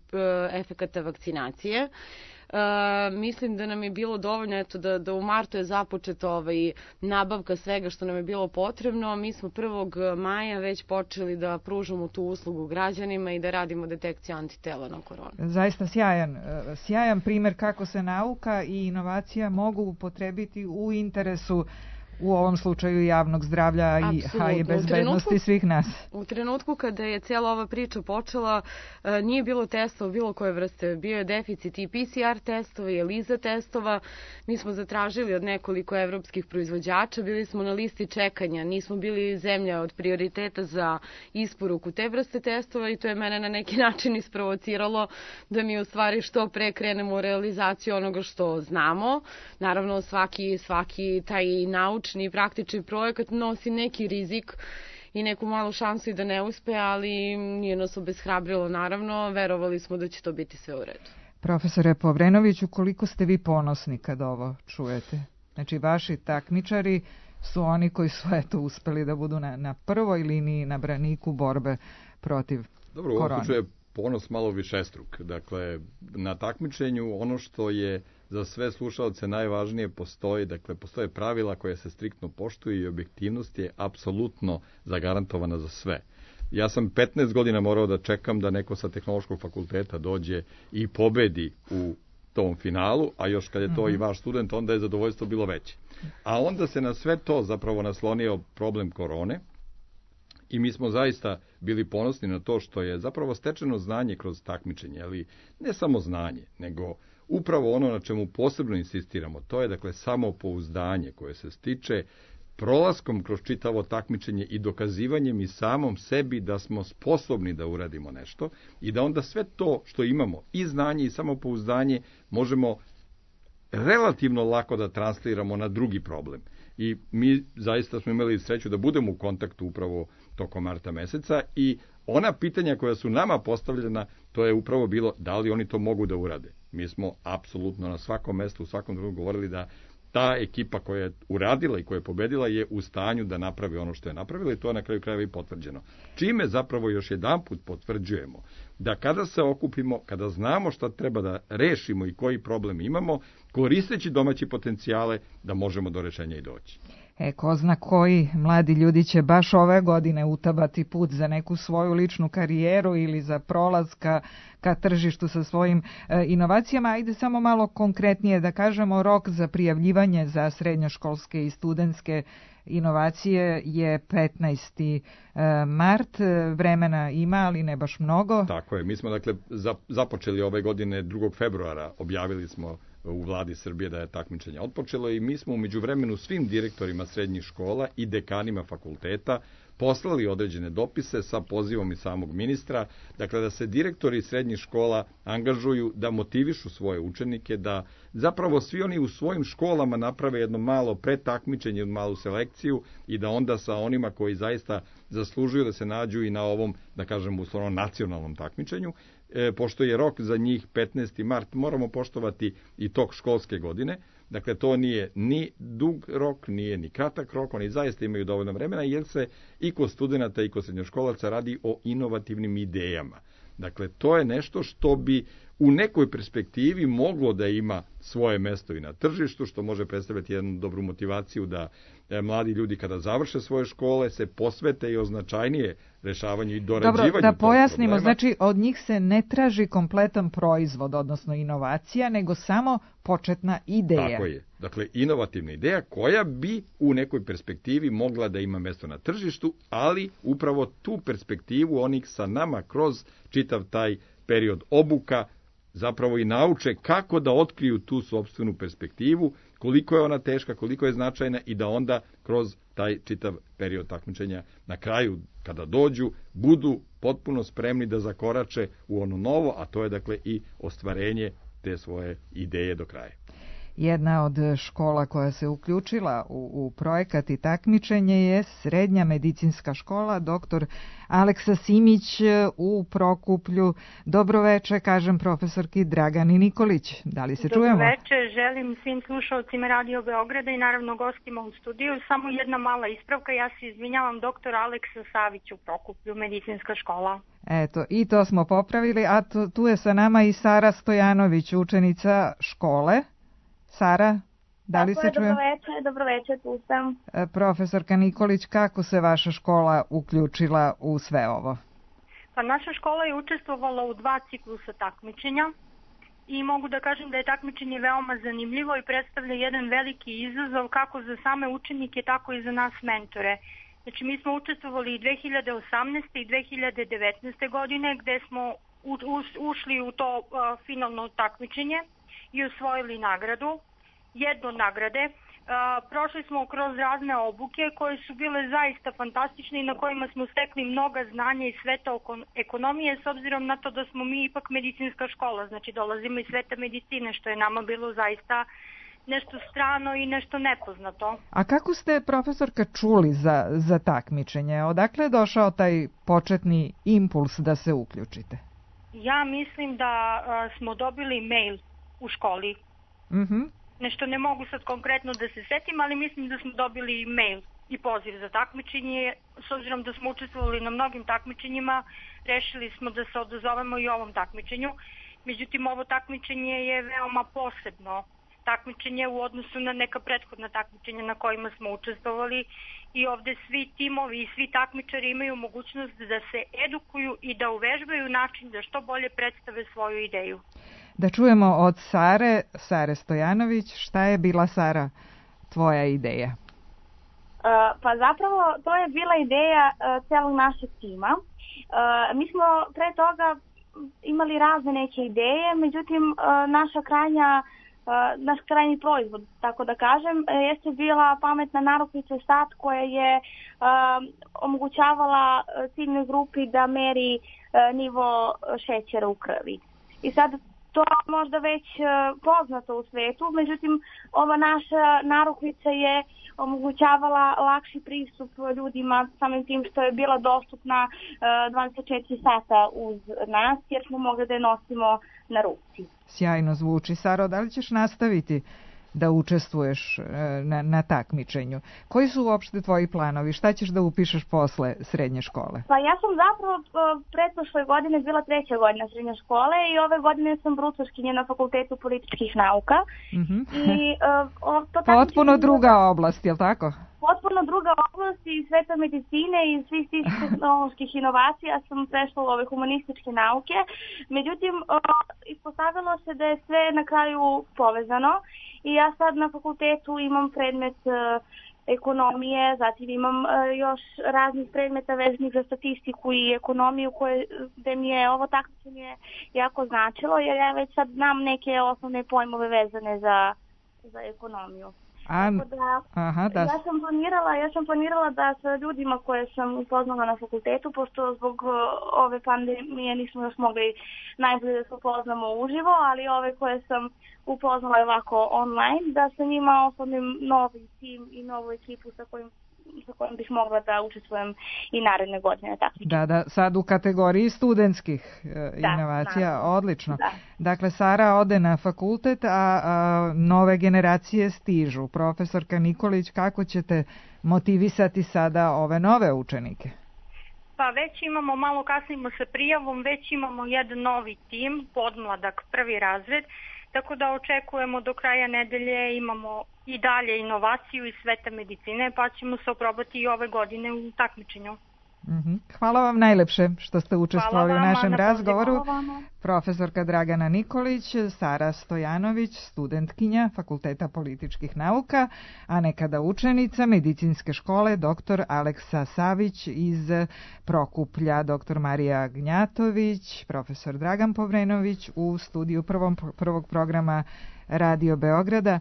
efekata vakcinacije. Mislim da nam je bilo dovoljno da u martu je započeta nabavka svega što nam je bilo potrebno. Mi smo 1. maja već počeli da pružamo tu uslugu građanima i da radimo detekciju antitela na koronu. Zaista sjajan primjer kako se nauka i inovacija mogu upotrebiti u interesu, u ovom slučaju, javnog zdravlja i bezbednosti svih nas. U trenutku kada je cijela ova priča počela, nije bilo testova bilo koje vrste. Bio je deficit i PCR testova i ELISA testova. Mi smo zatražili od nekoliko evropskih proizvođača, bili smo na listi čekanja, nismo bili zemlja od prioriteta za isporuku te vrste testova i to je mene na neki način isprovociralo da mi u stvari što pre krenemo u realizaciju onoga što znamo. Naravno, svaki taj naučni i praktični projekat nosi neki rizik i neku malu šansu i da ne uspe, ali nije nas obeshrabrilo, naravno, verovali smo da će to biti sve u redu. Profesore Povrenoviću, koliko ste vi ponosni kad ovo čujete? Znači, vaši takmičari su oni koji su uspeli da budu na prvoj liniji, na braniku borbe protiv korone. Dobro, u ovom slučaju je ponos malo višestruk. Dakle, na takmičenju ono što je za sve slušalce najvažnije postoje pravila koje se striktno poštuju i objektivnost je apsolutno zagarantovana za sve. Ja sam 15 godina morao da čekam da neko sa tehnološkog fakulteta dođe i pobedi u tom finalu, a još kad je to i vaš student, onda je zadovoljstvo bilo veće. A onda se na sve to zapravo naslonio problem korone i mi smo zaista bili ponosni na to što je zapravo stečeno znanje kroz takmičenje, ali ne samo znanje, nego upravo ono na čemu posebno insistiramo, to je dakle samopouzdanje koje se stiče prolaskom kroz čitavo takmičenje i dokazivanjem i samom sebi da smo sposobni da uradimo nešto i da onda sve to što imamo, i znanje i samopouzdanje, možemo relativno lako da transliramo na drugi problem. I mi zaista smo imali sreću da budemo u kontaktu upravo tokom marta meseca i ona pitanja koja su nama postavljena, to je upravo bilo da li oni to mogu da urade. Mi smo apsolutno na svakom mestu, u svakom drugom govorili da ta ekipa koja je uradila i koja je pobedila je u stanju da napravi ono što je napravila i to je na kraju krajeva i potvrđeno. Čime zapravo još jedanput potvrđujemo da kada se okupimo, kada znamo šta treba da rešimo i koji problem imamo, koristeći domaće potencijale, da možemo do rešenja i doći. Ko zna koji mladi ljudi će baš ove godine utabati put za neku svoju ličnu karijeru ili za prolaz ka tržištu sa svojim inovacijama. Ajde samo malo konkretnije da kažemo, rok za prijavljivanje za srednjoškolske i studentske inovacije je 15. mart. Vremena ima, ali ne baš mnogo. Tako je. Mi smo dakle započeli ove godine 2. februara. Objavili smo u vladi Srbije da je takmičenje otpočelo i mi smo u međuvremenu svim direktorima srednjih škola i dekanima fakulteta poslali određene dopise sa pozivom i samog ministra, dakle da se direktori srednjih škola angažuju da motivišu svoje učenike, da zapravo svi oni u svojim školama naprave jedno malo pretakmičenje, jednu malu selekciju i da onda sa onima koji zaista zaslužuju da se nađu i na ovom, da kažem, uslovno nacionalnom takmičenju, pošto je rok za njih 15. mart, moramo poštovati i tok školske godine. Dakle, to nije ni dug rok, nije ni kratak rok, oni zaista imaju dovoljno vremena, jer se i kod studenta i kod srednjoškolaca radi o inovativnim idejama. Dakle, to je nešto što bi u nekoj perspektivi moglo da ima svoje mesto i na tržištu, što može predstavljati jednu dobru motivaciju da mladi ljudi kada završe svoje škole se posvete i označajnije rešavanju i dorađivanju. Dobro, da pojasnimo, znači od njih se ne traži kompletan proizvod, odnosno inovacija, nego samo početna ideja. Tako je. Dakle, inovativna ideja koja bi u nekoj perspektivi mogla da ima mesto na tržištu, ali upravo tu perspektivu onih sa nama kroz čitav taj period obuka zapravo i nauče kako da otkriju tu sopstvenu perspektivu, koliko je ona teška, koliko je značajna i da onda kroz taj čitav period takmičenja na kraju, kada dođu, budu potpuno spremni da zakorače u ono novo, a to je dakle i ostvarenje te svoje ideje do kraja. Jedna od škola koja se uključila u projekat i takmičenje je Srednja medicinska škola dr. Aleksa Simić u Prokuplju. Dobroveče, kažem profesorki Dragani Nikolić. Da li se čujemo? Dobroveče, želim svim slušalcima Radio Beograda i naravno gostima u studiju. Samo jedna mala ispravka, ja se izvinjavam, dr. Aleksa Savić u Prokuplju, medicinska škola. Eto, i to smo popravili, a tu je sa nama i Sara Stojanović, učenica škole. Sara, da li se čuje? Dobroveče, tu sam. Profesorka Nikolić, kako se vaša škola uključila u sve ovo? Pa naša škola je učestvovala u 2 ciklusa takmičenja i mogu da kažem da je takmičenje veoma zanimljivo i predstavlja jedan veliki izazov kako za same učenike, tako i za nas mentore. Znači, mi smo učestvovali i 2018. i 2019. godine gde smo ušli u to finalno takmičenje i osvojili nagradu, jednu od nagrade. Prošli smo kroz razne obuke koje su bile zaista fantastične i na kojima smo stekli mnoga znanja iz sveta ekonomije, s obzirom na to da smo mi ipak medicinska škola, znači dolazimo iz sveta medicine, što je nama bilo zaista nešto strano i nešto nepoznato. A kako ste, profesorka, čuli za takmičenje? Odakle je došao taj početni impuls da se uključite? Ja mislim da smo dobili mail u školi. Nešto ne mogu sad konkretno da se setim, ali mislim da smo dobili mail i poziv za takmičenje. S obzirom da smo učestvovali na mnogim takmičenjima, rešili smo da se odazovemo i ovom takmičenju. Međutim, ovo takmičenje je veoma posebno takmičenje u odnosu na neka prethodna takmičenja na kojima smo učestvovali i ovde svi timovi i svi takmičari imaju mogućnost da se edukuju i da uvežbaju način da što bolje predstave svoju ideju. Da čujemo od Sare Stojanović, šta je bila, Sara, tvoja ideja? Pa zapravo to je bila ideja celog našeg tima. Mi smo pre toga imali razne neke ideje, međutim naš krajnji proizvod, tako da kažem, jeste bila pametna narukvica SAT koja je omogućavala ciljnoj grupi da meri nivo šećera u krvi. I sad to je možda već poznato u svetu, međutim ova naša narukvica je omogućavala lakši pristup ljudima samim tim što je bila dostupna 24 sata uz nas jer smo mogli da je nosimo na ruci. Sjajno zvuči. Saro, da li ćeš nastaviti da učestvuješ na takmičenju? Koji su uopšte tvoji planovi? Šta ćeš da upišeš posle srednje škole? Pa ja sam zapravo pretprošle godine bila 3. godina srednje škole i ove godine sam brucoškinja na Fakultetu političkih nauka. I, Potpuno druga oblast, je li tako? potpuno druga oblast iz sveta medicine i svih tih tehnoloških inovacija sam prešla u ove humanističke nauke. Međutim, ispostavilo se da je sve na kraju povezano i ja sad na fakultetu imam predmet ekonomije, zatim imam još raznih predmeta vezanih za statistiku i ekonomiju gde mi je ovo takmičenje jako značilo, jer ja već sad znam neke osnovne pojmove vezane za ekonomiju. Ja sam planirala da sa ljudima koje sam upoznala na fakultetu, pošto zbog ove pandemije nismo još mogli najbolje da se upoznamo uživo, ali ove koje sam upoznala ovako online, da sa njima oformim novi tim i novu ekipu sa kojim bih mogla da učestvujem i naredne godine. Da, sad u kategoriji studentskih inovacija, odlično. Da. Dakle, Sara ode na fakultet, a nove generacije stižu. Profesorka Nikolić, kako ćete motivisati sada ove nove učenike? Pa već imamo, malo kasnimo sa prijavom, već imamo jedan novi tim, podmladak, prvi razred, tako da očekujemo do kraja nedelje imamo i dalje inovaciju iz sveta medicine, pa ćemo se oprobati i ove godine u takmičenju. Hvala vam najlepše što ste učestvovali u našem razgovoru. Profesorka Dragana Nikolić, Sara Stojanović, studentkinja Fakulteta političkih nauka, a nekada učenica Medicinske škole dr. Aleksa Savić iz Prokuplja, dr. Marija Gnjatović, profesor Dragan Povrenović u studiju prvog programa Radio Beograda.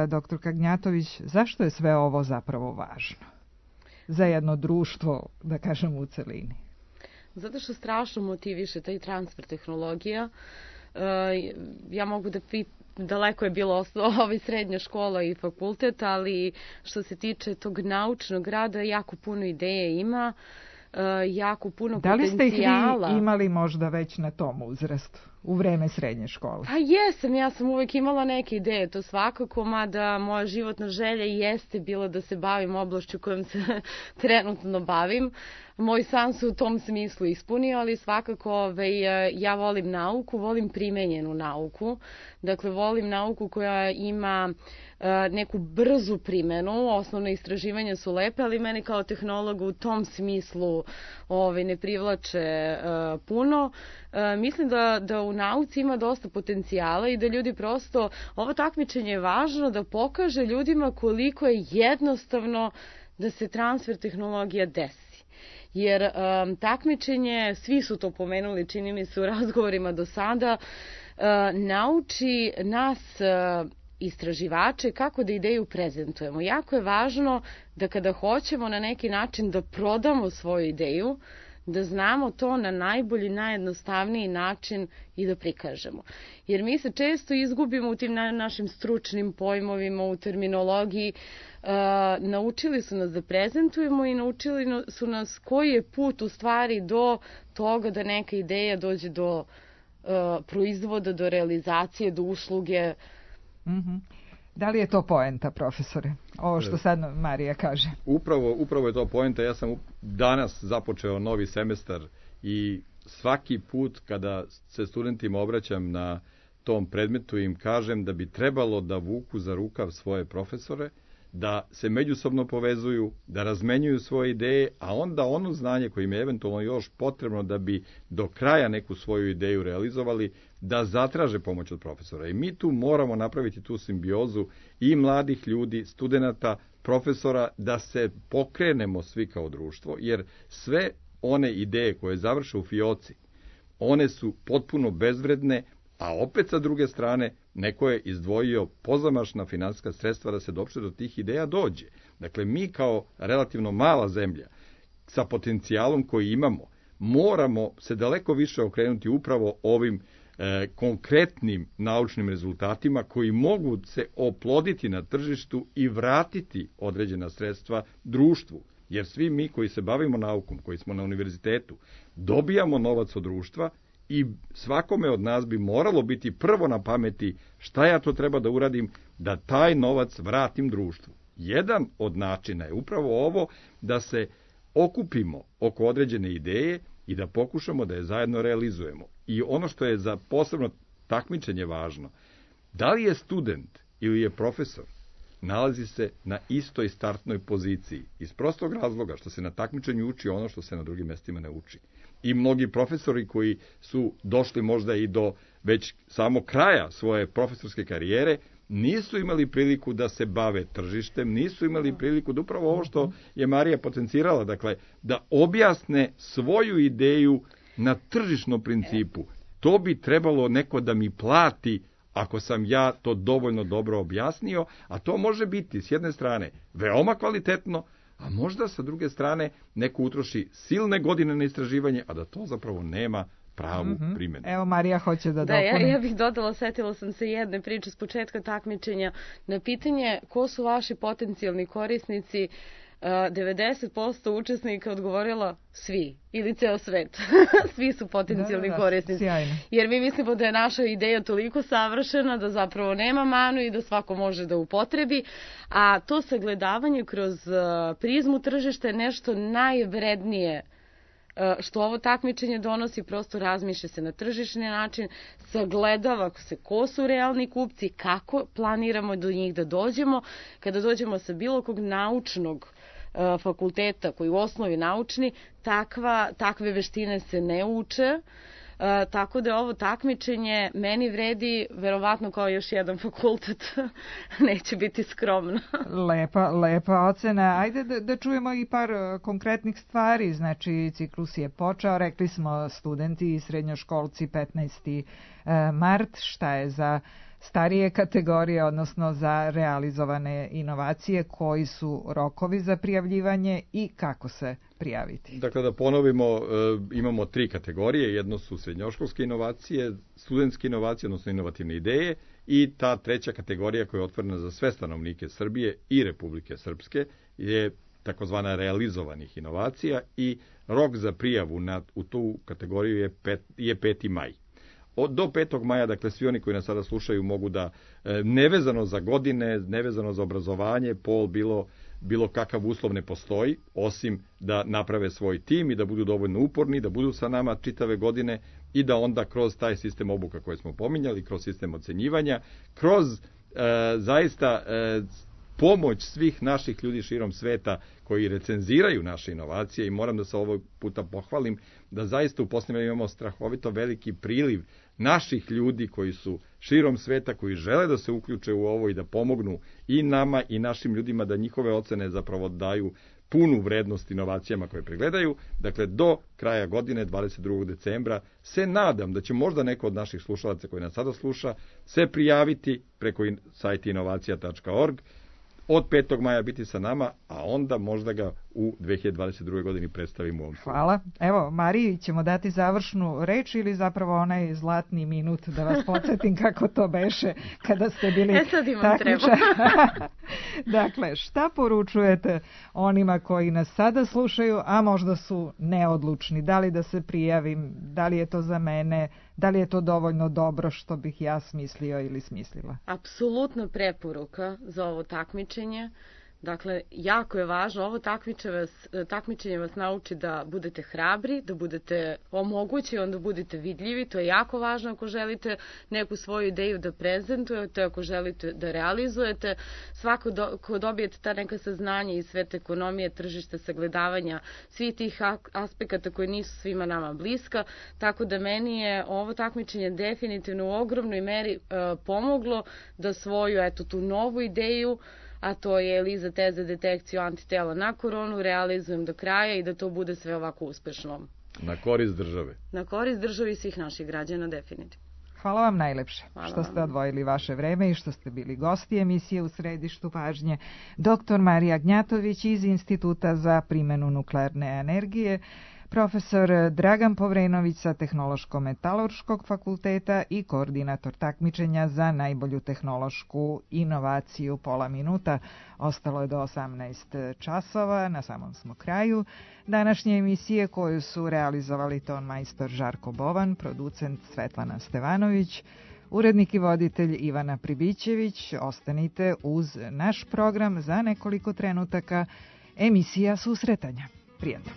Doktorka Gnjatović, zašto je sve ovo zapravo važno za jedno društvo, da kažem, u celini? Zato što strašno motiviše taj transfer tehnologija. Ja mogu da daleko je bilo srednja škola i fakultet, ali što se tiče tog naučnog rada, jako puno ideje ima, jako puno potencijala. Da li ste ih vi imali možda već na tom uzrastu, u vreme srednje škole? Pa jesam, ja sam uvek imala neke ideje, to svakako, mada moja životna želja jeste bila da se bavim oblašću kojom se trenutno bavim. Moj san se u tom smislu ispunio, ali svakako ja volim nauku, volim primenjenu nauku. Dakle, volim nauku koja ima neku brzu primenu, osnovne istraživanja su lepe, ali mene kao tehnologa u tom smislu ne privlače puno. Mislim da u nauci ima dosta potencijala i da ljudi prosto, ovo takmičenje je važno da pokaže ljudima koliko je jednostavno da se transfer tehnologija desi. Jer takmičenje, svi su to pomenuli, čini mi se u razgovorima do sada, nauči nas istraživače kako da ideju prezentujemo. Jako je važno da kada hoćemo na neki način da prodamo svoju ideju, da znamo to na najbolji, najjednostavniji način i da prikažemo. Jer mi se često izgubimo u tim našim stručnim pojmovima, u terminologiji. Naučili su nas da prezentujemo i naučili su nas koji je put u stvari do toga da neka ideja dođe do proizvoda, do realizacije, do usluge. Da li je to poenta, profesore? Ovo što sad Marija kaže. Upravo je to poenta. Ja sam danas započeo novi semestar i svaki put kada se studentima obraćam na tom predmetu im kažem da bi trebalo da vuku za rukav svoje profesore, da se međusobno povezuju, da razmenjuju svoje ideje, a onda ono znanje koje im je eventualno još potrebno da bi do kraja neku svoju ideju realizovali, da zatraže pomoć od profesora. I mi tu moramo napraviti tu simbiozu i mladih ljudi, studenata, profesora, da se pokrenemo svi kao društvo, jer sve one ideje koje završe u fioci, one su potpuno bezvredne, a opet sa druge strane neko je izdvojio pozamašna finansijska sredstva da se doopšte do tih ideja dođe. Dakle, mi kao relativno mala zemlja sa potencijalom koji imamo, moramo se daleko više okrenuti upravo ovim konkretnim naučnim rezultatima koji mogu se oploditi na tržištu i vratiti određena sredstva društvu. Jer svi mi koji se bavimo naukom, koji smo na univerzitetu, dobijamo novac od društva i svakome od nas bi moralo biti prvo na pameti šta ja to treba da uradim da taj novac vratim društvu. Jedan od načina je upravo ovo da se okupimo oko određene ideje i da pokušamo da je zajedno realizujemo. I ono što je za posebno takmičenje važno, da li je student ili je profesor, nalazi se na istoj startnoj poziciji. Iz prostog razloga što se na takmičenju uči ono što se na drugim mestima ne uči. I mnogi profesori koji su došli možda i do već samog kraja svoje profesorske karijere, nisu imali priliku da se bave tržištem, nisu imali priliku da upravo ovo što je Marija potencirala, dakle, da objasne svoju ideju na tržišnom principu. To bi trebalo neko da mi plati ako sam ja to dovoljno dobro objasnio, a to može biti s jedne strane veoma kvalitetno, a možda sa druge strane neko utroši silne godine na istraživanje, a da to zapravo nema pravu primjenu. Evo, Marija hoće da dopuni. Ja bih dodala, setila sam se jedne priče s početka takmičenja. Na pitanje ko su vaši potencijalni korisnici, 90% učesnika odgovorila svi ili ceo svet. Svi su potencijalni korisnici. Sjajno. Jer mi mislimo da je naša ideja toliko savršena da zapravo nema manu i da svako može da upotrebi, a to sagledavanje kroz prizmu tržišta je nešto najvrednije što ovo takmičenje donosi. Prosto razmišlja se na tržišni način, sagledava se ko su realni kupci, kako planiramo do njih da dođemo. Kada dođemo sa bilo kog naučnog fakulteta koji u osnovi naučni, takve veštine se ne uče, tako da ovo takmičenje meni vredi verovatno kao još jedan fakultet. Neće biti skromno. Lepa ocena. Ajde da čujemo i par konkretnih stvari. Znači, ciklus je počeo, rekli smo studenti i srednjoškolci 15. mart. Šta je za starije kategorije, odnosno za realizovane inovacije, koji su rokovi za prijavljivanje i kako se prijaviti? Dakle, da ponovimo, imamo 3 kategorije. Jedno su srednjoškolske inovacije, studentske inovacije, odnosno inovativne ideje, i ta 3. kategorija koja je otvorena za sve stanovnike Srbije i Republike Srpske je takozvana realizovanih inovacija i rok za prijavu u tu kategoriju je 5. maj. Do 5. maja, dakle, svi oni koji nas sada slušaju mogu da, nevezano za godine, nevezano za obrazovanje, pol, bilo kakav uslov ne postoji, osim da naprave svoj tim i da budu dovoljno uporni, da budu sa nama čitave godine i da onda kroz taj sistem obuka koje smo pominjali, kroz sistem ocenjivanja, kroz zaista pomoć svih naših ljudi širom sveta koji recenziraju naše inovacije, i moram da se ovog puta pohvalim da zaista u posljednje imamo strahovito veliki priliv naših ljudi koji su širom sveta, koji žele da se uključe u ovo i da pomognu i nama i našim ljudima da njihove ocene zapravo daju punu vrednost inovacijama koje pregledaju. Dakle, do kraja godine, 22. decembra, se nadam da će možda neko od naših slušalaca koji nas sada sluša se prijaviti preko sajta inovacija.org, od 5. maja biti sa nama, a onda možda ga u 2022. godini predstavimo u ovom. Hvala. Evo, Mariji ćemo dati završnu reč ili zapravo onaj zlatni minut da vas podsjetim kako to beše kada ste bili takmičari. Dakle, šta poručujete onima koji nas sada slušaju, a možda su neodlučni? Da li da se prijavim, da li je to za mene, da li je to dovoljno dobro što bih ja smislio ili smislila? Apsolutno preporuka za ovo takmičenje. Dakle, jako je važno, ovo takmičenje vas nauči da budete hrabri, da budete omogući, onda budete vidljivi. To je jako važno ako želite neku svoju ideju da prezentujete, ako želite da realizujete. Svako ko dobijete ta neka saznanja iz sveta ekonomije, tržišta, sagledavanja svih tih aspekata koji nisu svima nama bliska. Tako da meni je ovo takmičenje definitivno u ogromnoj meri pomoglo da svoju, tu novu ideju, a to je ELISA test za detekciju antitela na koronu, realizujem do kraja i da to bude sve ovako uspešno. Na korist države. Na korist države i svih naših građana, definitivno. Hvala vam najlepše što ste odvojili vaše vreme i što ste bili gosti emisije U središtu pažnje. Dr. Marija Gnjatović iz Instituta za primjenu nuklearne energije, profesor Dragan Povrenović sa Tehnološko-metalurškog fakulteta i koordinator takmičenja za najbolju tehnološku inovaciju. Pola minuta, ostalo je do 18 časova, na samom smo kraju današnje emisije koju su realizovali ton majstor Žarko Bovan, producent Svetlana Stevanović, urednik i voditelj Ivana Pribićević. Ostanite uz naš program za nekoliko trenutaka, emisija Susretanja. Prijatno.